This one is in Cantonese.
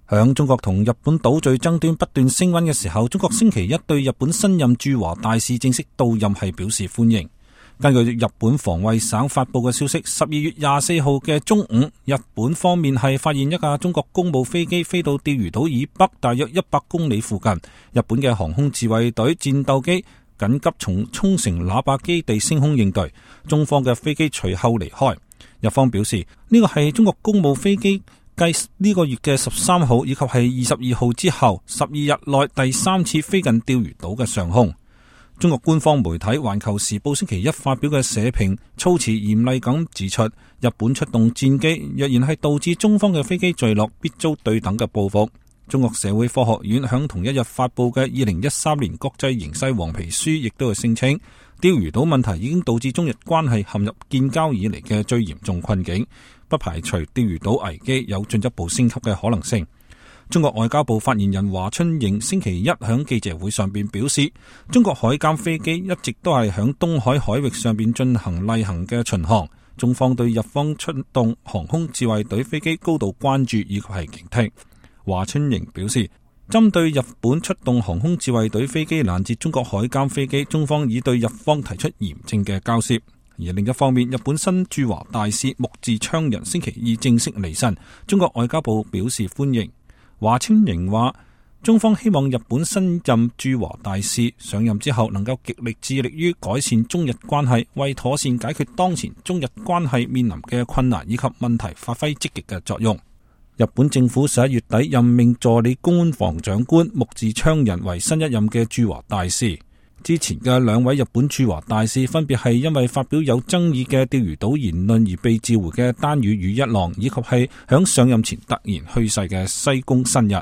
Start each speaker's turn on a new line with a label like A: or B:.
A: 響中國同日本島嶼爭端不斷升溫嘅時候，中國星期一對日本新任駐華大使正式到任係表示歡迎。根據日本防衛省發布嘅消息，12月24號嘅中午，日本方面係發現一架中國公務飛機飛到釣魚島以北大約100公里附近，日本嘅航空自衛隊戰鬥機緊急從沖繩喇叭基地升空應對，中方嘅飛機隨後離開。日方表示呢個係中國公務飛機繼呢個月嘅13號以及係22號之後12日內第3次飛近釣魚島嘅上空。中國官方媒體《環球時報》星期一發表嘅社評措辭嚴厲咁指出，日本出動戰機若然係導致中方嘅飛機墜落，必遭對等嘅報復。中國社會科學院響同一日發布嘅2013年國際形勢黃皮書亦都係聲稱，釣魚島問題已經導致中日關係陷入建交以嚟嘅最嚴重困境，不排除釣魚島危機有進一步升級嘅可能性。中國外交部發言人華春瑩星期一響記者會上邊表示，中國海監飛機一直都係響東海海域上邊進行例行嘅巡航，中方對日方出動航空自衛隊飛機高度關注以及係警惕。華春瑩表示，針對日本出動航空自衛隊飛機攔截中國海監飛機，中方已對日方提出嚴正嘅交涉。而另一方面，日本新駐華大使木寺昌人星期二正式離任，中國外交部表示歡迎。華春瑩話，中方希望日本新任駐華大使上任之後能夠極力致力於改善中日關係，為妥善解決當前中日關係面臨嘅困難以及問題發揮積極嘅作用。日本政府11月底任命助理公安防長官木寺昌人為新一任嘅駐華大使。之前嘅2位日本駐華大使分別係因為發表有爭議嘅釣魚島言論而被召回嘅丹羽羽一郎，以及係響上任前突然去世嘅西宮伸日。